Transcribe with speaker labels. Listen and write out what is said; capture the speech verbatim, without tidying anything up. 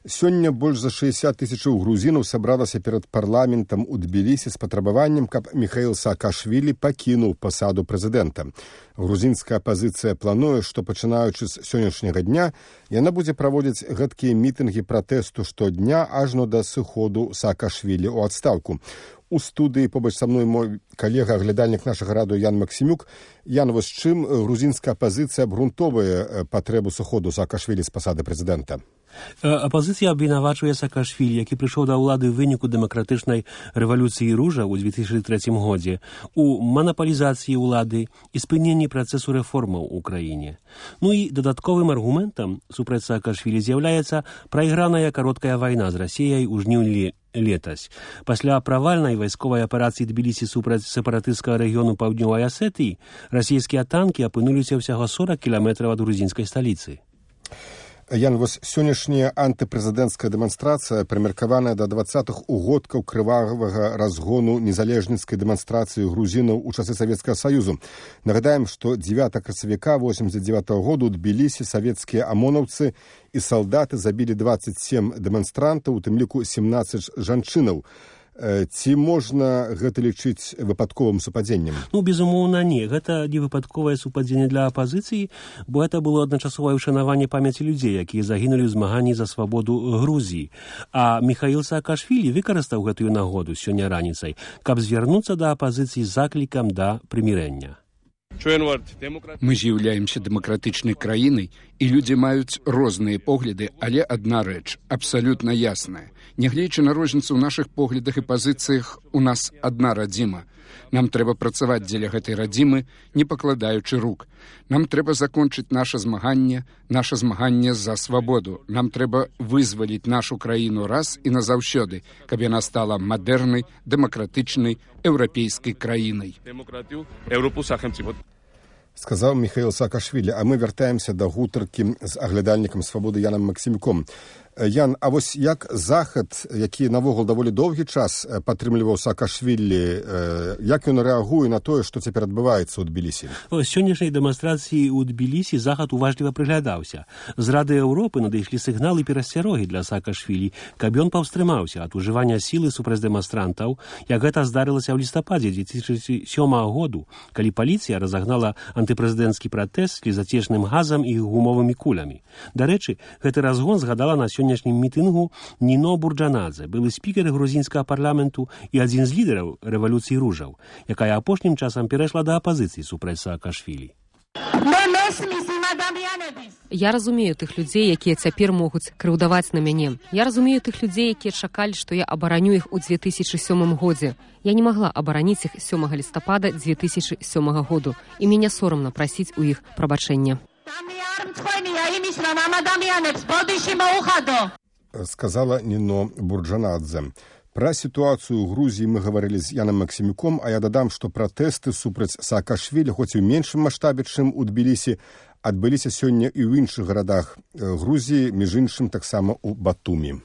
Speaker 1: Сёння больш за шэсцьдзесят тысячаў грузінаў сабралася перад парламентам у Тбілісі з патрабаваннем, каб Міхаіл Саакашвілі пакінуў пасаду прэзідэнта. Грузінская апазіцыя плануе, што пачынаючы з сённяшняга дня яна будзе праводзіць гэткія мітынгі пратэсту штодня ажно да сыходу Саакашвілі ў адстаўку. У студыі побач са мной мой калега, аглядальнік нашага радыё Ян Максімюк. Ян, вось чым грузінская апазіцыя абгрунтоўвае патрэбу сыходу Саакашвілі з пасады прэзідэнта?
Speaker 2: Апозиція абвінавачує Саакашвілі, який прийшов до влади в виніку демократичної революції Ружа у дві тисячі третьому годі, у монополізації влади і спиненні процесу реформів у Україні. Ну і додатковим аргументом супроти Саакашвілі з'являється проіграна коротка війна з Росією у жнівні летась. Після провальної військової операції Тбілісі супроти сепаратистського регіону Півдньової Осетії, російські танки опинилися всього сорок кілометрів від грузинської столиці.
Speaker 1: Ян, вось сённяшняя антыпрэзідэнцкая дэманстрацыя прымеркаваная да дваццатых угодкаў крывавага разгону незалежніцкай дэманстрацыі грузінаў у часы Савецкага Саюзу. Нагадаем, што дзевятага красавіка восемьдесят девятого году ў Тбілісі савецкія амонаўцы і салдаты забілі двадцать семь дэманстрантаў, у тым ліку семнадцать жанчынаў. Ці можна гэта лічыць выпадковым супадзеннем?
Speaker 2: Ну, безумоўна, не. Гэта не выпадковае супадзенне для апазіцыі, бо гэта было адначасовае ўшанаванне памяці людзей, якія загінулі ў змаганні за свабоду Грузіі. А Міхаіл Саакашвілі выкарыстаў гэтую нагоду сёння раніцай, каб звярнуцца да апазіцыі з заклікам да прымірэння.
Speaker 3: Мы з'яўляемся дэмакратычнай краінай, і людзі маюць розныя погляды, але адна рэч абсалютна ясная. Нягледзячы на розніцу ў нашых поглядах і пазіцыях, у нас адна радзіма. Нам трэба працаваць дзеля гэтай радзімы, не пакладаючы рук. Нам трэба закончыць наша змаганне, наша змаганне за свабоду. Нам трэба вызваліць нашу краіну раз і назаўсёды, каб яна стала мадэрнай, дэмакратычнай, еўрапейскай краінай.
Speaker 1: Сказаў Міхаіл Саакашвілі, а мы вяртаемся да гутаркі з аглядальнікам «Свабоды» Янам Максімюком. Ян, а вось як захад, які навогул даволі доўгі час падтрымліваў Саакашвілі, як ён рэагуе на тое, што цяпер адбываецца ў Тбілісі?
Speaker 2: З сённяшняй дэманстрацыі ў Тбілісі захад уважліва прыглядаўся. З Рады Еўропы надышлі сігналы перасцярогі для Саакашвілі, каб ён паўстрымаўся ад ужывання сілы супраць дэманстрантаў, як гэта здарылася ў лістападзе две тысячи сёмага году, калі паліцыя разагнала антыпрэзідэнцкі пратэст слізацечным газам і гумовымі кулямі. Дарэчы, гэты разгон згадала на сённяшнім мітынгу Ніно Бурджанадзе, былы спікер грузінскага парламенту і адзін з лідараў рэвалюцыі Ружаў, якая апошнім часам перайшла да апазіцыі супраць Саакашвілі.
Speaker 4: Я разумею тых людзей, якія цяпер могуць крыўдаваць на мяне. Я разумею тых людзей, якія чакалі, што я абараню іх у две тысячи сёмым годзе. Я не магла абараніць іх сёмага лістапада две тысячи сёмага году, і мяне сорамна прасіць у іх прабачэння.
Speaker 1: Сказала Ніно Бурджанадзе. Пра сітуацыю ў Грузіі мы гаварылі з Янам Максімюком, а я дадам, што пратэсты супраць Саакашвілі, хоць і ў меншым маштабе, чым у Тбілісі, адбыліся сёння і ў іншых гарадах Грузіі, між іншым таксама ў Батумі.